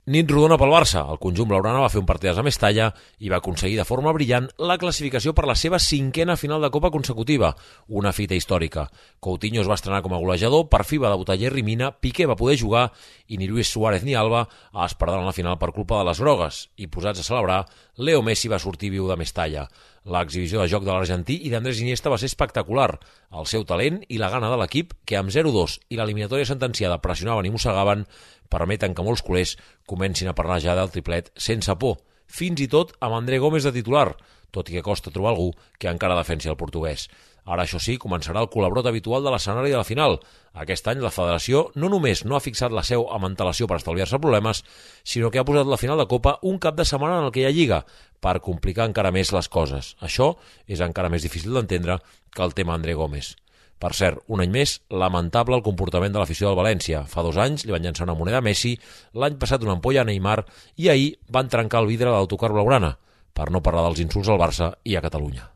Nit rodona pel Barça. El conjunt blaugrana va fer un partidàs a Mestalla i va aconseguir de forma brillant la classificació per la seva 5a final de Copa consecutiva, una fita històrica. Coutinho es va estrenar com a golejador, per fi va debutar Yerry Mina, Piqué va poder jugar i ni Luis Suárez ni Alba es perdran la final per culpa de les grogues. I posats a celebrar, Leo Messi va sortir viu de Mestalla. L'exhibició de joc de l'argentí i d'Andrés Iniesta va ser espectacular. El seu talent i la gana de l'equip, que amb 0-2 i l'eliminatòria sentenciada pressionaven i mossegaven, permeten que molts culers comencin a parlar ja del triplet sense por, fins i tot amb André Gómez de titular, tot i que costa trobar algú que encara defensi el portuguès. Ara, això sí, començarà el col·labrot habitual de l'escenari de la final. Aquest any la federació no només no ha fixat la seu amb antelació per estalviar-se problemes, sinó que ha posat la final de Copa un cap de setmana en el que hi ha Lliga, per complicar encara més les coses. Això és encara més difícil d'entendre que el tema André Gómez. Per cert, un any més, lamentable el comportament de l'afició del València. Fa 2 anys li van llançar una moneda a Messi, l'any passat una ampolla a Neymar i ahir van trencar el vidre de l'autocar blaugrana, per no parlar dels insults al Barça i a Catalunya.